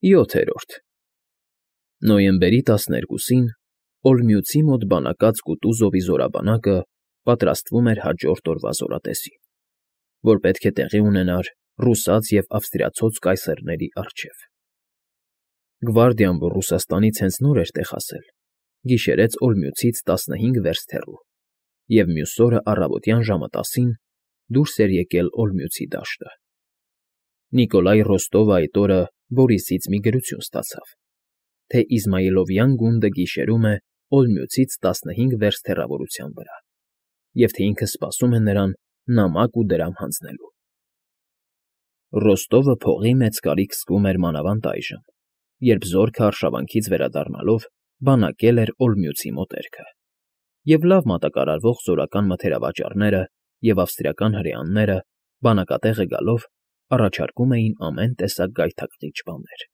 7-րդ Նոյեմբերի 12-ին Օլմյուծի մոտ բանակած Կուտուզովի զորաբանակը պատրաստվում էր հաջորդ օրվա զորատեսին, որ պետք է տեղի ունենար ռուսաց և ավստրիացոց կայսերների առջև։ Գվարդիան, որ Ռուսաստանից հենց նոր էր տեղ հասել, գիշերեց Օլմյուծից 15 վերստ հեռու և մյուս օրը առավոտյան ժամը 10-ին դուրս էր եկել Օլմյուծի դաշտը։ Նիկոլայ Ռոստովը այդ օրը Բորիսից մի գրություն ստացավ, թե Իզմայիլովյան գունդը գիշերում է Օլմյուծից 15 վերստ հեռավորության վրա, և թե ինքը սպասում է նրան նամակ ու դրամ հանձնելու։ Ռոստովը փողի մեծ կարիք զգում էր մանավանդ այժմ, երբ զորքը արշավանքից վերադառնալով բանակել էր Օլմյուծի մոտերքը, և լավ մատակարարվող զորական մթերավաճառները և ավստրիական հրեաները բանակատեղը գալով առաջարկում էին ամեն տեսակ գայթակղիչ բաներ։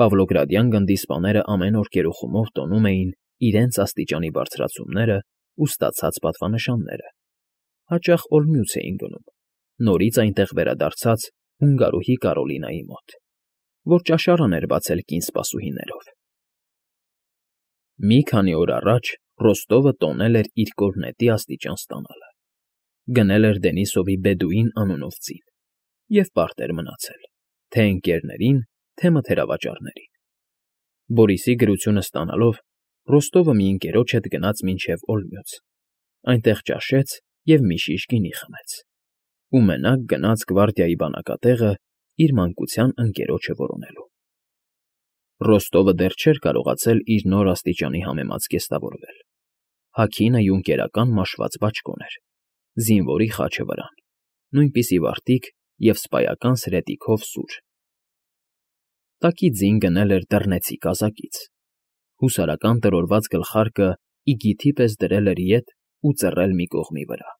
Պավլոգրադյան գնդի սպաները ամեն օր գերուխումով տոնում էին իրենց աստիճանի բարձրացումներն ու ստացած պատվանշանները, հաճախ Օլմյուծ էին գնում, նորից այնտեղ վերադարձած հունգարուհի Կարոլինայի մոտ, որ ճաշարան էր բացել կին սպասուհիներով։ Մի քանի օր առաջ Ռոստովը տոնել էր իր կորնետի աստիճան ստանալը, գնել էր Դենիսովի Բեդուին անունով ծին և պարտ էր մնացել, թե ընկերներին, թե մթերավաճառներին։ Բորիսի գրությունը ստանալով Ռոստովը մի ընկերոջ հետ գնաց մինչև Օլմյուծ, այնտեղ ճաշեց և մի շիշ գինի խմեց, ու մենակ գնաց գվարդիայի բանակատեղը իր մանկության ընկերոջը որոնելու։ Ռոստովը դեռ չէր կարողացել իր նոր աստիճանի համեմած կեստավորվել։ Հագինը յունկերական մաշված բաճկոն էր, զինվորի խաչը վրան, նույնպիսի վարտիք և սպայական սրետիքով սուր։ Տակի ձին գնել էր դռնեցի կազակից, հուսարական տրորված գլխարկը իգիթի պես դրել էր ետ ու ծռել մի կողմի վրա։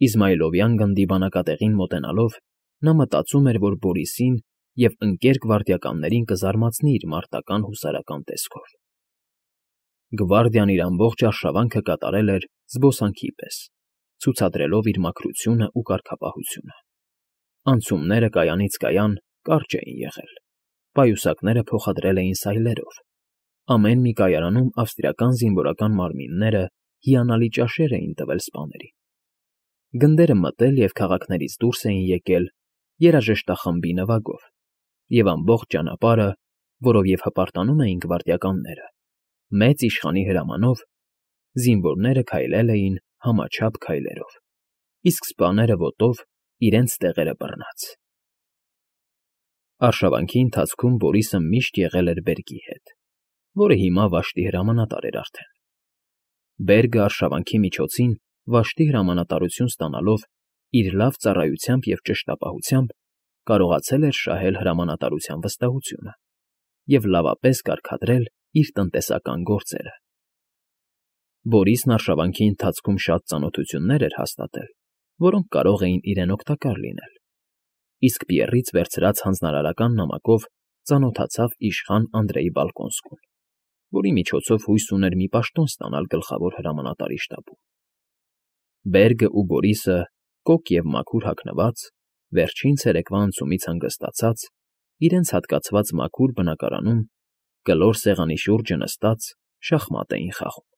Իզմայիլովյան գնդի բանակատեղին մոտենալով նա մտածում էր, որ Բորիսին և ընկեր գվարդիականներին կզարմացնի իր մարտական հուսարական տեսքով։ Գվարդիան իր ամբողջ արշավանքը կատարել էր զբոսանքի պես, ցուցադրելով իր մաքրությունն ու կարգապահությունը։ Անցումները կայանից կայան կարճ էին եղել, պայուսակները փոխադրել էին սայլերով, ամեն մի կայարանում ավստրիական զինվորական մարմինները հիանալի ճաշեր էին տվել սպաներին։ Գնդերը մտել և քաղաքներից դուրս էին եկել երաժշտախմբի նվագով, և ամբողջ ճանապարհը, որով և հպարտանում էին գվարդիականները, մեծ իշխանի հրամանով, զինվորները քայլել էին համաչափ քայլերով, իսկ սպաները ոտով իրենց տեղերը բռնած։ Արշավանքի ընթացքում Բորիսը միշտ եղել էր Բերգի հետ, որը հիմա Վաշտի հրամանատար էր արդեն։ Բերգը արշավանքի միջոցին Վաշտի հրամանատարություն ստանալով իր լավ ծառայությամբ և ճշտապահությամբ կարողացել էր շահել հրամանատարության վստահությունը և լավապես կարգադրել իր տնտեսական գործերը։ Բորիսն արշավանքի ընթացքում շատ ծանոթություններ էր հաստատել, որոնք կարող էին իրեն օգտակար լինել, իսկ Պիեռից վերցրած հանձնարարական նամակով ծանոթացավ իշխան Անդրեի Բալկոնսկուն, որի միջոցով հույս ուներ մի պաշտոն ստանալ գլխավոր հրամանատարի շտաբում։ Բերգը ու Բորիսը, կոկ և մաքուր հագնված, վերջին ցերեկվա անցումից հանգստացած, իրենց հատկացված մաքուր բնակարանում կլոր սեղանի շուրջը նստած շախմատ էին խաղում։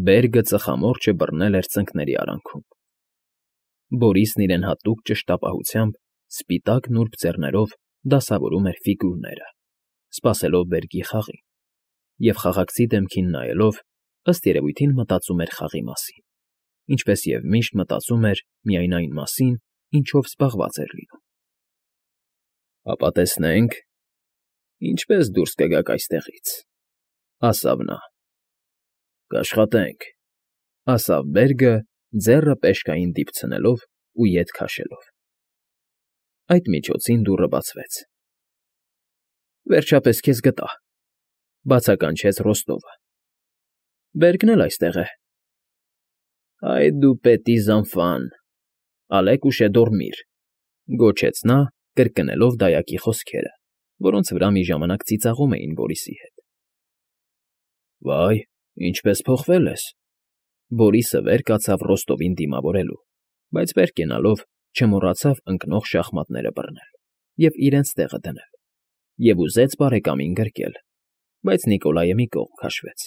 Բերգը ծխամորճը բռնել էր ծնկների արանքում։ Բորիսն իրեն հատուկ ճշտապահությամբ սպիտակ նուրբ ձեռներով դասավորում էր ֆիգուրները, սպասելով Բերգի խաղին, և խաղաղցի դեմքին նայելով, ըստ երևույթին մտածում էր խաղի մասին, ինչպես և միշտ մտածում էր միայն այն մասին, ինչով զբաղված էր լինում։ «Հապա տեսնենք, ինչպես դուրս կգաք այստեղից,֊ ասավ նա։ Կաշխատենք,֊ ասավ Բերգը, ձեռը պեշկային դիպցնելով ու ետ քաշելով։ Այդ միջոցին դուռը բացվեց։ «Վերջապես քեզ գտա,֊ բացականչեց Ռոստովը։ Բերգն էլ այստեղ է։ Այ դու պետի զանֆան, ալեք ուշե դոռմիր,֊ գոչեց նա, կրկնելով դայակի խոսքերը, որոնց վրա մի ժամանակ ծիծաղում էին Բորիսի հետ։ Վայ, ինչպես փոխվել ես,֊ Բորիսը վեր կացավ Ռոստովին դիմավորելու, բայց վեր կենալով չմոռացավ ընկնող շախմատները բռնել և իրենց տեղը դնել։ և ուզեց բարեկամին գրկել, բայց Նիկոլայը մի կողմ քաշվեց.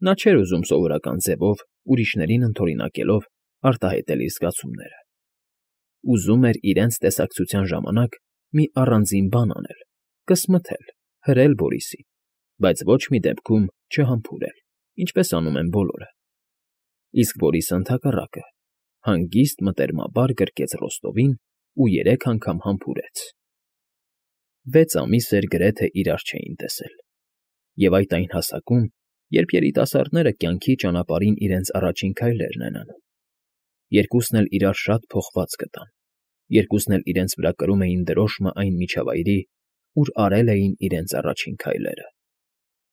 նա չէր ուզում սովորական ձևով, ուրիշներին ընդօրինակելով արտահայտել իր զգացումները. ուզում էր իրենց տեսակցության ժամանակ մի առանձին բան անել, կսմթել, հրել Բորիսին, բայց ոչ մի դեպքում չհամբուրել, ինչպես անում են բոլորը. իսկ Բորիսը ընդհակառակը հանգիստ մտերմաբար գրկեց Ռոստովին ու 3 անգամ համբուրեց. 6 ամիս էր գրեթե իրար չէին տեսել, և այդ այն հասակում, երբ երիտասարդները կյանքի ճանապարհին իրենց առաջին քայլերն են անում. երկուսն էլ իրար շատ փոխված գտան, երկուսն էլ իրենց վրա կրում էին դրոշմը այն միջավայրի, ուր արել էին իրենց առաջին քայլերը,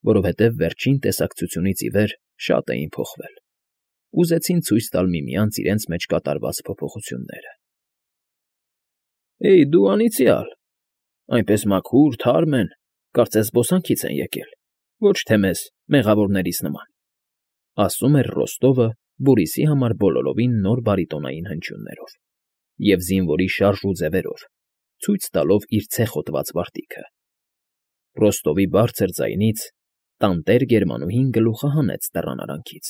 որովհետև վերջին տեսակցությունից ի վեր շատ էին փոխվել, ուզեցին ցույց տալ միմյանց իրենց մեջ կատարված փոփոխությունները։ «Էյ, դու անիծյալ, այնպես մաքուր, թարմ են, կարծես զբոսանքից են եկել, ոչ թե մեզ, մեղավորներիս նման», ասում էր Ռոստովը Բորիսի համար բոլորովին նոր բարիտոնային հնչյուններով և զինվորի շարժ ու ձևերով, ցույց տալով իր ցեխոտված վարտիքը։ Ռոստովի բարձր ձայնից տանտեր գերմանուհին գլուխը հանեց դռան արանքից։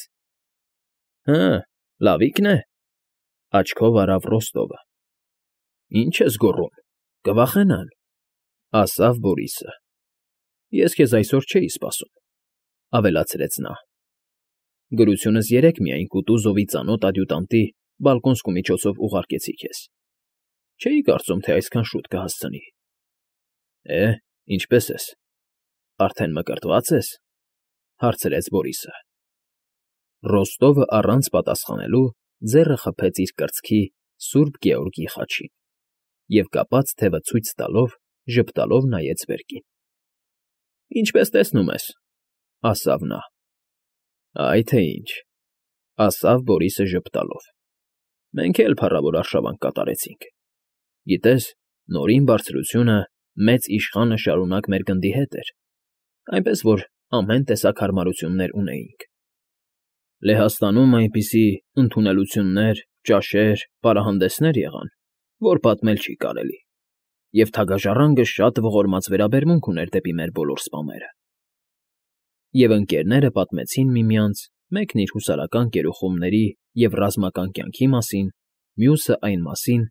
«Հը, լավիկն է», աչքով արավ Ռոստովը։ «Ինչ ես գոռում, կվախենան», ասավ Բորիսը։ «Ես քեզ այսօր չէի սպասում», ավելացրեց նա։ «Գրությունս 3 միայն Կուտուզովի ծանոթ ադյուտանտի Բալկոնսկու միջոցով ուղարկեցի քեզ։ Չէի կարծում, թե այսքան շուտ կհասցնի»։ Ինչպե՞ս ես, արդեն մկրտվա՞ծ ես, հարցրեց Բորիսը։ Ռոստովը առանց պատասխանելու ձեռը խփեց իր կրծքի Սուրբ Գեորգի խաչին և կապած թևը ցույց տալով ժպտալով նայեց վերկին։ «Ինչպես տեսնում ես», ասավ նա։ «Այ թե ինչ», ասավ Բորիսը ժպտալով։ «Մենք էլ փառավոր արշավանք կատարեցինք։ Գիտես, Նորին Բարձրությունը մեծ իշխանը շարունակ մեր գնդի հետ էր, այնպես որ ամեն տեսակ հարմարություններ ունեինք։ Լեհաստանում այնպիսի ընդունելություններ, ճաշեր, պարահանդեսներ եղան, որ պատմել չի կարելի, և թագաժառանգը շատ ողորմած վերաբերմունք ուներ դեպի մեր բոլոր սպաները»։ Եվ ընկերները պատմեցին միմյանց, մեկն իր հուսարական գերուխումների և ռազմական կյանքի մասին, մյուսը այն մասին,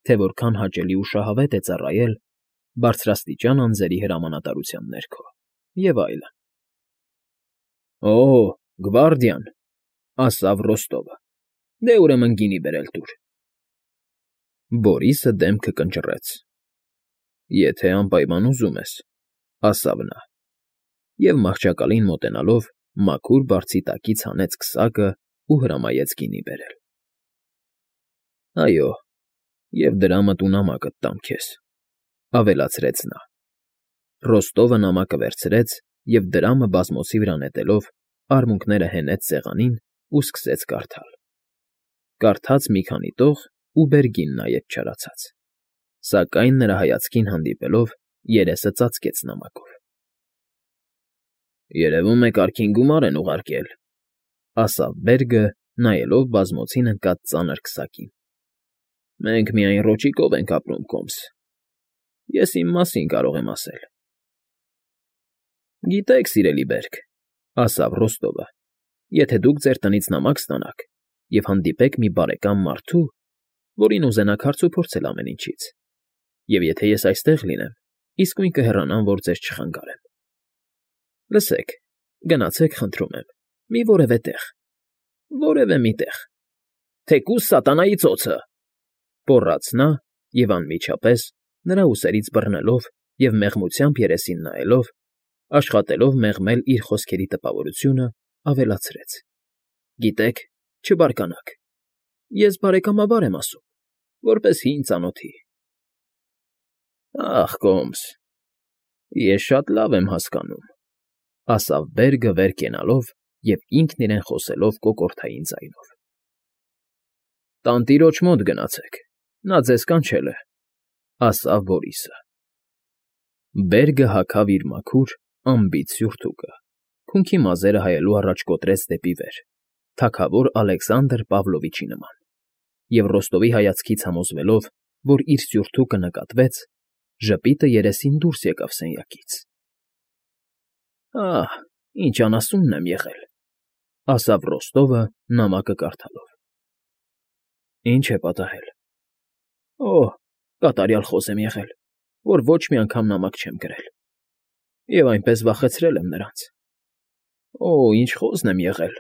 թե որքան հաճելի ու շահավետ է ծառայել բարձրաստիճան անձերի հրամանատարության ներքո, և այլն։ «Օ, գվարդիան», ասավ Ռոստովը, «դե ուրեմն գինի բերել տուր»։ Բորիսը դեմքը կնճռեց։ «Եթե անպայման ուզում ես», ասավ նա, և մահճակալին մոտենալով մաքուր բարձի տակից հանեց քսակը ու հրամայեց գինի բերել։ «Այո, և դրամդ ու նամակդ տամ քեզ», ավելացրեց նա։ Ռոստովը նամակը վերցրեց և դրամը բազմոցի վրա նետելով արմունկները հենեց սեղանին ու սկսեց կարդալ։ Կարդաց մի քանի տող ու բերգին նայեց չարացած, սակայն նրա հայացքին հանդիպելով երեսը ծածկեց նամակով։ «Երևում է կարգին գումար են ուղարկել», ասավ Բերգը, նայելով բազմոցին ընկած ծանր քսակին։ «Մենք միայն ռոճիկով ենք ապրում, Կոմս, ես իմ մասին կարող եմ ասել»։ «Գիտեք, սիրելի Բերգ», ասավ Ռոստովը, «եթե դուք ձեր տնից նամակ ստանաք և հանդիպեք մի բարեկամ մարդու, որին ուզենաք հարցուփորձել ամեն ինչից, և եթե ես այստեղ լինեմ, իսկույն կհեռանամ, որ ձեզ չխանգարեմ։ Լսեք, գնացեք, խնդրում եմ, մի որևէ տեղ, որևէ մի տեղ, թեկուզ սատանայի ծոցը», պոռաց նա և անմիջապես, նրա ուսերից բռնելով և մեղմությամբ երեսին նայելով, աշխատելով մեղմել իր խոսքերի տպավորությունը, ավելացրեց. «Գիտեք, չբարկանաք, ես բարեկամաբար եմ ասում, որպես հին ծանոթի»։ «Ախ, Կոմս, ես շատ լավ եմ հասկանում», ասավ Բերգը վեր կենալով և ինքն իրեն խոսելով կոկորդային ձայնով։ «Տանտիրոջ մոտ գնացեք, նա ձեզ կանչել է», ասավ Բորիսը։ Բերգը հագավ իր մաքուր, անբիծ սյուրթուկը, քունքի մազերը հայելու առաջ կոտրեց դեպի վեր, թագավոր Ալեքսանդր Պավլովիչի նման, և Ռոստովի հայացքից համոզվելով, որ իր սյուրթուկը նկատվեց, Ժպիտը երեսին դուրս եկավ սենյակից։ Ահ, ինչ անասունն եմ եղել, ասավ Ռոստովը նամակը կարդալով։ Ինչ է պատահել։ Օհ, կատարյալ խոզ եմ եղել, որ ոչ մի անգամ նամակ չեմ գրել։ Եվ այնպես վախեցրել եմ նրանց։ Օ, ինչ խոզն եմ եղել,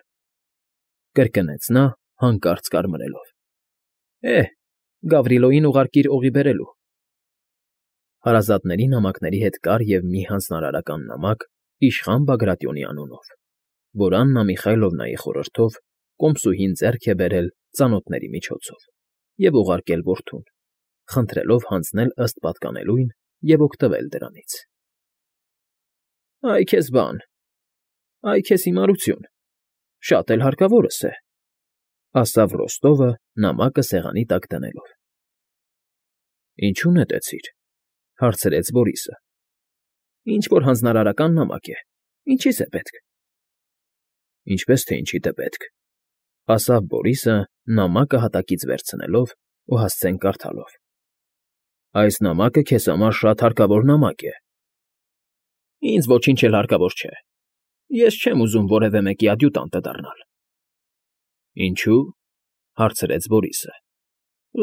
կրկնեց նա հանկարծ կարմրելով։ Գավրիլոյին ուղարկիր օղի բերելու։ Հարազատների նամակների հետ կար և մի հանձնարարական նամակ իշխան Բագրատյոնի անունով, որ Աննա Միխայլովնայի խորհրդով կոմսուհին ձեռք է բերել ծանոթների միջոցով և ուղարկել որդուն, խնդրելով հանձնել ըստ պատկանելույն և օգտվել դրանից։ Այ քեզ բան, այ քեզ հիմարություն, շատ էլ հարկավորս է, ասավ Ռոստովը նամակը սեղանի տակ դնելով։ Ինչու նետեցիր, հարցրեց Բորիսը։ Ինչ-որ հանձնարարական նամակ է, ինչի՞ս է պետք։ Ինչպես թե ինչիդ է պետք, ասավ Բորիսը նամակը հատակից վերցնելով ու հասցեն կարդալով։ Այս նամակը քեզ համար շատ հարկավոր նամակ է։ Ինձ ոչինչ էլ հարկավոր չէ։ Ես չեմ ուզում որևէ մեկի ադյուտանտը դառնալ։ Ինչու՞, հարցրեց Բորիսը։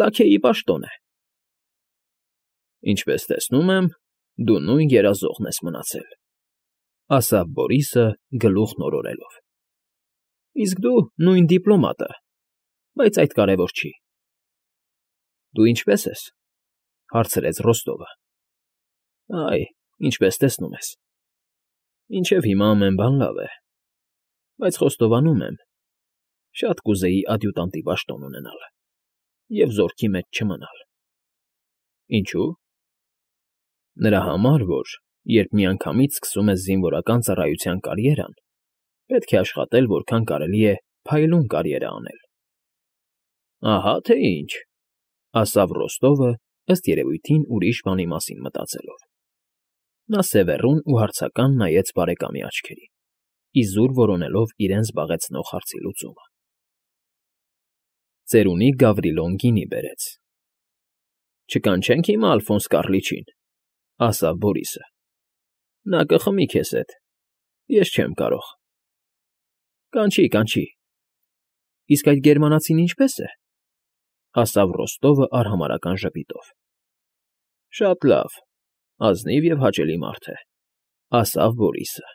Լաքեյի պաշտոն է։ Ինչպես տեսնում եմ, դու նույն երազողն ես մնացել, ասավ Բորիսը գլուխն օրորելով։ Իսկ դու նույն դիպլոմատը, բայց այդ կարևոր չի։ Դու ինչպե՞ս ես, հարցրեց Ռոստովը։ Այ, ինչպես տեսնում ես։ Մինչև հիմա ամեն բան լավ է, բայց խոստովանում եմ, շատ կուզեի ադյուտանտի պաշտոն ունենալ և զորքի մեջ չմնալ։ Ինչու՞։ Նրա համար, որ երբ միանգամից սկսում ես զինվորական ծառայության կարիերան, պետք է աշխատել որքան կարելի է փայլուն կարիերա անել։ Ահա թե ինչ, ասավ Ռոստովը ըստ երևույթին ուրիշ բանի մասին մտածելով։ Նա սևեռուն ու հարցական նայեց բարեկամի աչքերին, իզուր որոնելով իրեն զբաղեցնող հարցի լուծումը։ Ծերունի Գավրիլոն գինի բերեց։ Չկանչենք հիմա Ալֆոնս Կառլիչին, ասավ Բորիսը։ Նա կխմի քեզ հետ, ես չեմ կարող։ Կանչի, կանչի։ Իսկ այդ գերմանացին ինչպե՞ս է, ասավ Ռոստովը արհամարհական ժպիտով։ Շատ լավ, ազնիվ և հաճելի մարդ է, ասավ Բորիսը։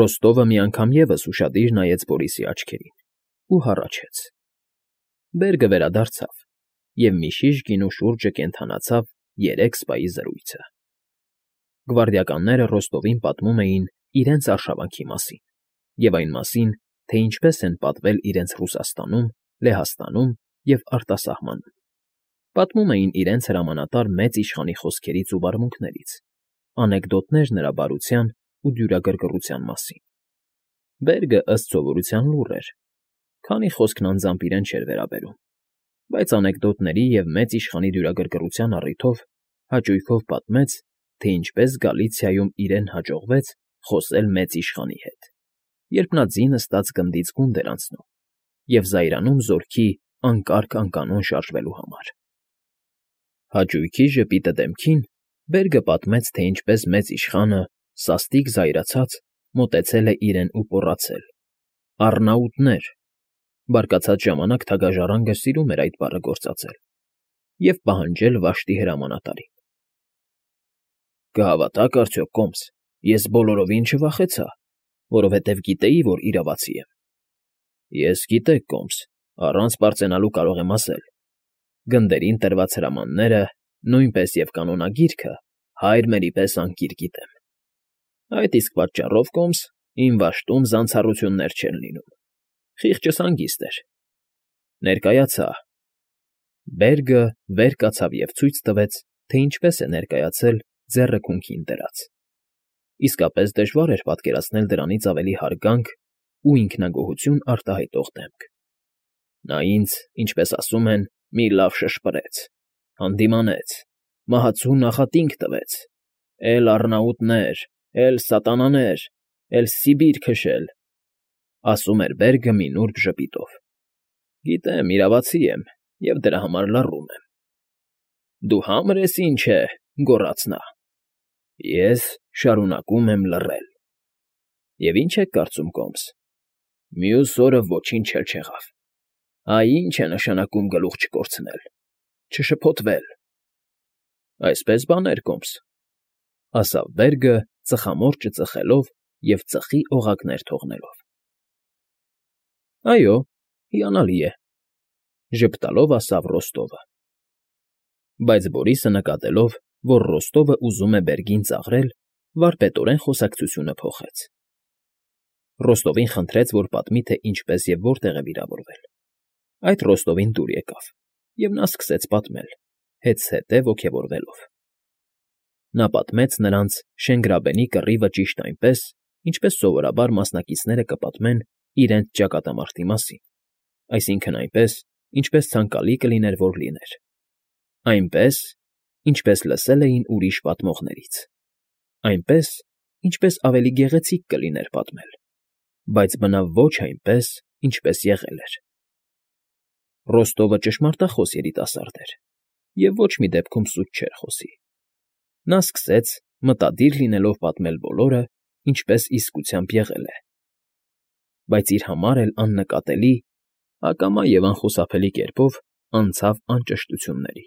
Ռոստովը մի անգամ ևս ուշադիր նայեց Բորիսի աչքերին ու հառաչեց։ Բերգը վերադարձավ, և միշիշ գինու շուրջը կենդանացավ 3 սպայի զրույցը։ Գվարդիականները Ռոստովին պատմում էին իրենց արշավանքի մասին և այն մասին, թե ինչպես են պատվել իրենց Ռուսաստանում, Լեհաստանում և արտասահմանում։ Պատմում էին իրենց հրամանատար մեծ իշխանի խոսքերից ու վարմունքներից, անեկդոտներ նրա բարության ու դյուրագրգռության մասին։ Բերգը ըստ սովորության լուռ էր, քանի խոսքն անձամբ իրեն չէր վերաբերում, բայց անեկդոտների և մեծ իշխանի դյուրագրգռության առիթով հաճույքով պատմեց, թե ինչպես Գալիցիայում իրեն հաջողվեց խոսել մեծ իշխանի հետ, երբ նա ձինը ստած գնդից գունդ էր անցնում և զայրանում զորքի անկարգ անկանոն շարժվելու համար։ Հաճույքի ժպիտը դեմքին Բերգը պատմեց, թե ինչպես մեծ իշխանը, սաստիկ զայրացած, մոտեցել է իրեն ու պոռացել. «Առնաուտներ», բարկացած ժամանակ թագաժառանգը սիրում էր այդ բառը գործածել, և պահանջել Վաշտի հրամանատարին։ Կհավատաք արդյոք, կոմս, ես բոլորովին չվախեցա, որովհետև գիտեի, որ իրավացի եմ։ Ես, գիտեք, կոմս, առանց պարծենալու կարող եմ ասել. գնդերին տրված հրամանները, նույնպես և կանոնագիրքը հայր մերի պես անկիր գիտեմ։ Այդ իսկ պատճառով, կոմս, իմ Վաշտում զանցառություններ չեն լինում։ Խիղճս հանգիստ էր։ Ներկայացա։ Բերգը վեր կացավ և ցույց տվեց, թե ինչպես է ներկայացել ձեռը քունքին դրած։ Իսկապես դժվար էր պատկերացնել դրանից ավելի հարգանք ու ինքնագոհություն արտահայտող դեմք։ Նա ինձ, ինչպես ասում են, մի լավ շշպրեց, հանդիմանեց, մահացու նախատինք տվեց. «Էլ առնաուտներ, էլ սատանաներ, էլ Սիբիր քշել», ասում էր Բերգը մի նուրբ ժպիտով։ Գիտեմ, իրավացի եմ և դրա համար լռում եմ։ Դու համր ես ինչ է,֊ գոռաց նա։ Ես շարունակում եմ լռել։ Եվ ի՞նչ եք կարծում, կոմս. մյուս օրը ոչինչ էլ չեղավ։ Այ ի՞նչ է նշանակում գլուխ չկորցնել, չշփոթվել։ Այսպես բաներ, կոմս,֊ ասավ Բերգը, ծխամորճը ծխելով և ծխի օղակներ թողնելով։ Այո, հիանալի է,֊ ժպտալով ասավ Ռոստովը։ Բայց Բորիսը նկատելով, որ Ռոստովը ուզում է Բերգին ծաղրել, վարպետորեն խոսակցությունը փոխեց։ Ռոստովին խնդրեց, որ պատմի, թե ինչպես և որտեղ է վիրավորվել։ Այդ Ռոստովին դուր եկավ, և նա սկսեց պատմել, հետզհետե ոգևորվելով։ Նա պատմեց նրանց Շենգրաբենի կռիվը ճիշտ այնպես, ինչպես սովորաբար մասնակիցները կպատմեն իրենց ճակատամարտի մասին, այսինքն այնպես, ինչպես ցանկալի կլիներ, որ լիներ, այնպես, ինչպես լսել էին ուրիշ պատմողներից, այնպես, ինչպես ավելի գեղեցիկ կլիներ պատմել, բայց բնավ ոչ այնպես, ինչպես եղել էր։ Ռոստովը ճշմարտախոս երիտասարդ էր և ոչ մի դեպքում սուտ չէր խոսի։ Նա սկսեց, մտադիր լինելով պատմել բոլորը, ինչպես իսկությամբ եղել է, բայց իր համար էլ աննկատելի, ակամա և անխուսափելի կերպով անցավ անճշտությունների։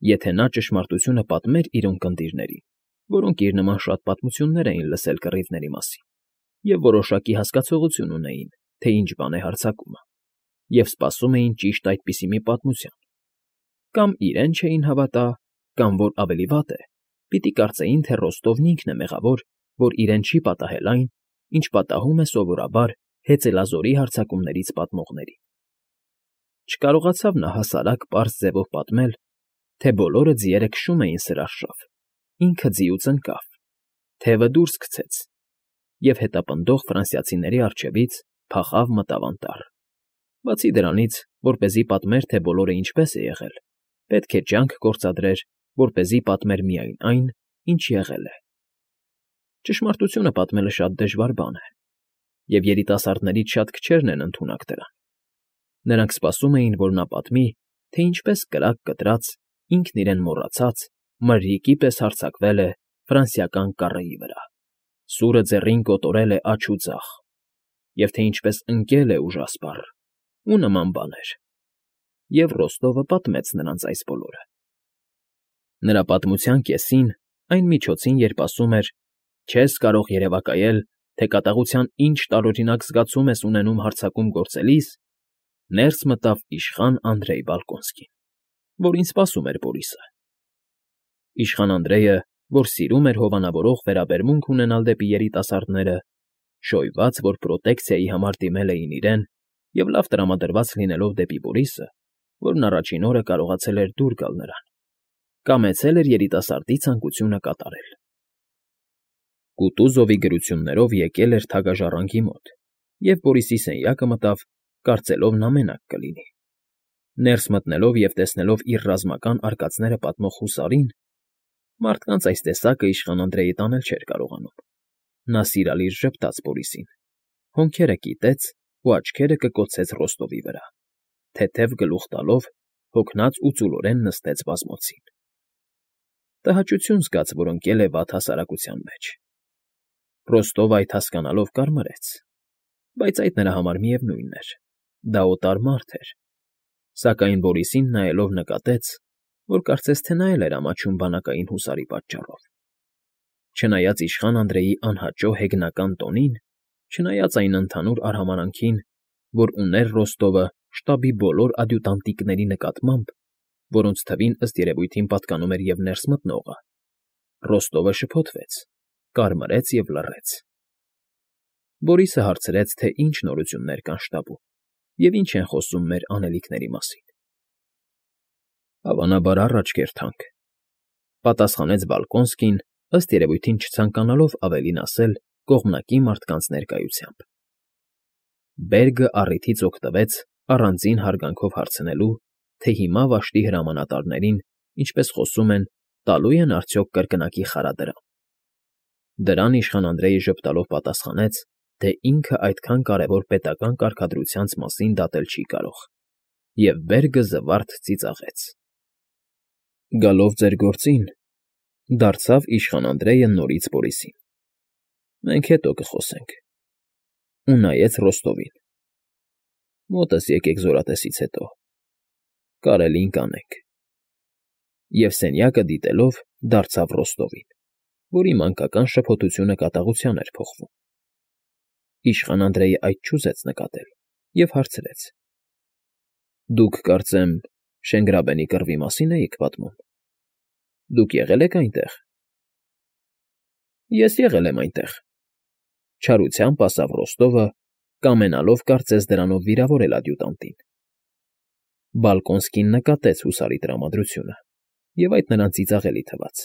Եթե նա ճշմարտությունը պատմեր իր ունկնդիրներին, որոնք իր նման շատ պատմություններ էին լսել կռիվների մասին և որոշակի հասկացողություն ունեին, թե ինչ բան է հարձակումը, և սպասում էին ճիշտ այդպիսի մի պատմության, կամ իրեն չէին հավատա, կամ, որ ավելի վատ է, պիտի կարծեին, թե Ռոստովն ինքն է մեղավոր, որ իրեն չի պատահել այն, ինչ պատահում է սովորաբար հեծելազորի հարձակումներից պատմողներին։ Չկարողացավ նա հասարակ պարզ ձևով պատմել, թե բոլորը ձիերը քշում էին սրարշավ, ինքը ձիուց ընկավ, թևը դուրս գցեց և հետապնդող ֆրանսիացիների առջևից փախավ մտավ անտառ։ Բացի դրանից, որպեսզի պատմեր, թե բոլորը ինչպես է եղել, պետք է ջանք գործադրեր, որպեսզի պատմեր միայն այն, ինչ եղել է։ Ճշմարտությունը պատմելը շատ դժվար բան է, և երիտասարդներից շատ քչերն են ընդունակ դրան։ Նրանք սպասում էին, որ նա պատմի, թե ինչպես կրակ կտրած, ինքն իրեն մոռացած, մրրիկի պես հարձակվել է ֆրանսիական կառեի վրա, սուրը ձեռին կոտորել է աջ ու ձախ, և թե ինչպես ընկել է ուժասպառ ու նման բաներ։ Եվ Ռոստովը պատմեց նրանց այս բոլորը։ Նրա պատմության կեսին, այն միջոցին, երբ ասում էր. «Չես կարող երևակայել, թե կատաղության ինչ տարօրինակ զգացում ես ունենում հարձակում գործելիս», ներս մտավ իշխան Անդրեյ Բալկոնսկին, որին սպասում էր Բորիսը։ Իշխան Անդրեյը, որ սիրում էր հովանավորող վերաբերմունք ունենալ դեպի երիտասարդները, շոյված, որ պրոտեկցիայի համար դիմել էին իրեն, և լավ տրամադրված լինելով դեպի Բորիսը, որն առաջին օրը կարողացել էր դուր գալ նրան, կամեցել էր երիտասարդի ցանկությունը կատարել։ Կուտուզովի գրություններով եկել էր թագաժառանգի մոտ և Բորիսի սենյակը մտավ, կարծելով նա մենակ կլինի։ Ներս մտնելով և տեսնելով իր ռազմական արկածները պատմող հուսարին, մարդկանց այս տեսակը իշխան Անդրեյը տանել չէր կարողանում։ Նա սիրալիր ժպտաց Բորիսին, հոնքերը կիտեց ու աչքերը կկոցեց Ռոստովի վրա, թեթև գլուխ տալով, հոգնած ու ծուլորեն նստեց բազմոցին։ Տհաճություն զգաց, որ ընկել է վատ հասարակության մեջ։ Ռոստովը այդ հասկանալով կարմրեց, բայց այդ նրա համար միևնույն էր, դա օտար մարդ էր, սակայն Բորիսին նայելով նկատեց, որ կարծես թե նա էլ էր ամաչում բանակային հուսարի պատճառով։ Չնայած իշխան Անդրեյի անհաճո հեգնական տոնին, չնայած այն ընդհանուր արհամարհանքին, որ ուներ Ռոստովը շտաբի բոլոր ադյուտանտիկների նկատմամբ, որոնց թվին ըստ երևույթին պատկանում էր և ներս մտնողը, Ռոստովը շփոթվեց, կարմրեց և լռեց։ Բորիսը հարցրեց, թե ինչ նորություններ կան շտաբում և ինչ են խոսում մեր անելիքների մասին։ Հավանաբար առաջ կերթանք,֊ պատասխանեց Բալկոնսկին, ըստ երևույթին չցանկանալով ավելին ասել կողմնակի մարդկանց ներկայությամբ։ Բերգը առիթից օգտվեց առանձին հարգանքով հարցնելու, թե հիմա վաշտի հրամանատարներին, ինչպես խոսում են, տալո՞ւ են արդյոք կրկնակի խարադրամ։ Դրան իշխան Անդրեյը ժպտալով պատասխանեց, թե ինքը այդքան կարևոր պետական կարգադրությանց մասին դատել չի կարող, և Բերգը զվարթ ծիծաղեց։ Գալով ձեր գործին, դարձավ իշխան Անդրեյը նորից Բորիսին. Մենք հետո կխոսենք, ու նայեց Ռոստովին. մոտս եկեք զորատեսից հետո, կարելին կանենք, և սենյակը դիտելով դարձավ Ռոստովին, որի մանկական շփոթությունը կատաղության էր փոխվում. Իշխան Անդրեյը այդ չուզեց նկատել և հարցրեց. Դուք, կարծեմ, Շենգրաբենի կռվի մասին էիք պատմում. Դուք եղել եք այնտեղ։ Ես եղել եմ այնտեղ, չարությամբ ասավ Ռոստովը, կամենալով կարծես դրանով վիրավորել ադյուտանտին։ Բալկոնսկին նկատեց հուսարի տրամադրությունը, և այդ նրան ծիծաղելի թվաց,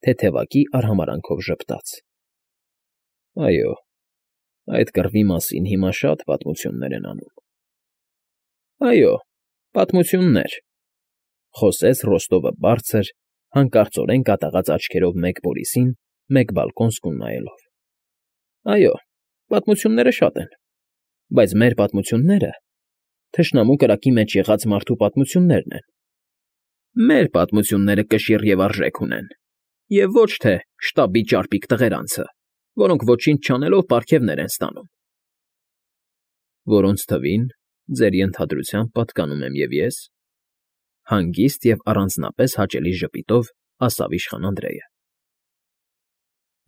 թեթևակի արհամարանքով ժպտաց. Այո, այդ կռվի մասին հիմա շատ պատմություններ են անում։ Այո, պատմություններ, խոսեց Ռոստովը բարձր, հանկարծորեն կատաղած աչքերով մեկ Բորիսին, մեկ Բալկոնսկուն նայելով։ Այո, պատմությունները շատ են, բայց մեր պատմությունները թշնամու կրակի մեջ եղած մարդու պատմություններն են։ Մեր պատմությունները կշիռ և արժեք ունեն, և ոչ թե շտաբի ճարպիկ տղերանցը, որոնք ոչինչ չանելով պարգևներ են ստանում։ Որոնց թվին, ձեր ենթադրությամբ, պատկանում եմ և ես, հանգիստ և առանձնապես հաճելի ժպիտով ասավ իշխան Անդրեյը։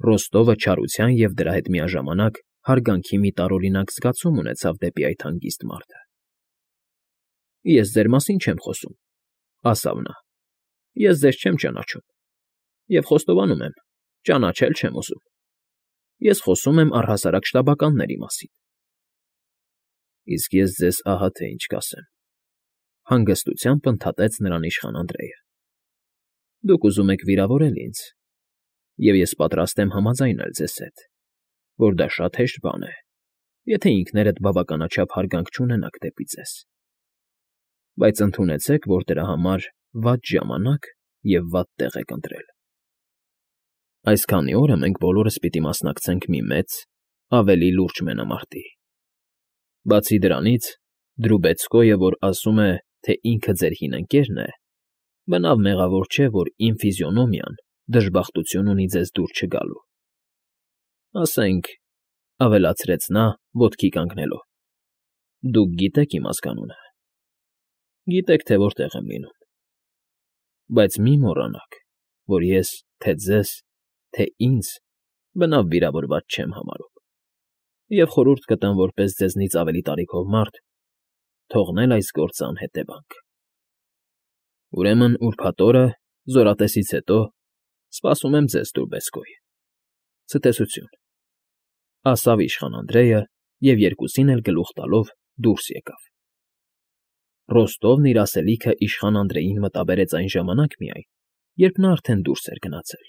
Ռոստովը չարության և դրա հետ միաժամանակ հարգանքի մի տարօրինակ զգացում ունեցավ դեպի այդ հանգիստ մարդը։ Ես ձեր մասին չեմ խոսում, ասավ նա, ես ձեզ չեմ ճանաչում և խոստովանում եմ, ճանաչել չեմ ուզում։ Ես խոսում եմ առհասարակ շտաբականների մասին։ Իսկ ես ձեզ ահա թե ինչ կասեմ, հանգստությամբ ընդհատեց նրան իշխան Անդրեյը։ Դուք ուզում եք վիրավորել ինձ, և ես պատրաստ եմ համաձայնել ձեզ հետ, որ դա շատ հեշտ բան է, եթե ինքներդ բավականաչափ հարգանք չունենաք դեպի ձեզ։ Բայց ընդունեցեք, որ դրա համար վատ ժամանակ և վատ տեղ եք ընտրել։ Այս քանի օրը մենք բոլորս պիտի մասնակցենք մի մեծ, ավելի լուրջ մենամարտի։ Բացի դրանից, Դրուբեցկոյը, որ ասում է, թե ինքը ձեր հին ընկերն է, բնավ մեղավոր չէ, որ իմ ֆիզիոնոմիան դժբախտություն ունի ձեզ դուր չգալու։ Ասենք, ավելացրեց նա, ոտքի կանգնելով, դուք գիտեք իմ ազգանունը, գիտեք, թե որտեղ եմ լինում, բայց մի մոռանաք, որ ես թե ձեզ, թե ինձ բնավ վիրավորված չեմ համարում, և խորհուրդ կտամ որպես ձեզնից ավելի տարիքով մարդ թողնել այս գործը անհետևանք։ Ուրեմն ուրբաթ օրը, զորատեսից հետո, սպասում եմ ձեզ, Դրուբեցկոյ։ Ցտեսություն, ասավ իշխան Անդրեյը և երկուսին էլ գլուխ տալով դուրս եկավ։ Ռոստովն իր ասելիքը իշխան Անդրեյին մտաբերեց այն ժամանակ միայն, երբ նա արդեն դուրս էր գնացել,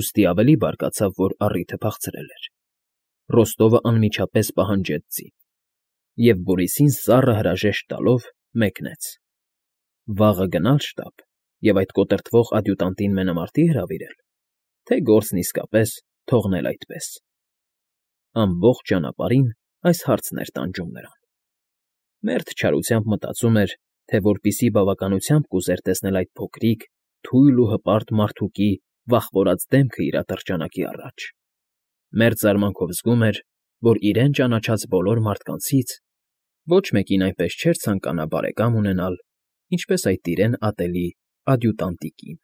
ուստի ավելի բարկացավ, որ առիթը փախցրել էր։ Ռոստովը անմիջապես պահանջեց ձին, և Բորիսին սառը հրաժեշտ տալով մեկնեց։ Վաղը գնալ շտաբ և այդ կոտրտվող ադյուտանտին մենամարտի հրավիրել, թե գործն իսկապես թողնել այդպես։ Ամբողջ ճանապարհին այս հարցն էր տանջում նրան։ Մերթ չարությամբ մտածում էր, թե որպիսի բավականությամբ կուզեր տեսնել այդ փոքրիկ, թույլ ու հպարտ մարդուկի վախվորած դեմքը իր ատրճանակի առաջ, մերձ զարմանքով զգում էր, որ իրեն ճանաչած բոլոր մարդկանցից ոչ մեկին այնպես չէր ցանկանա բարեկամ ունենալ, ինչպես այդ իրեն ատելի ադյուտանտիկին։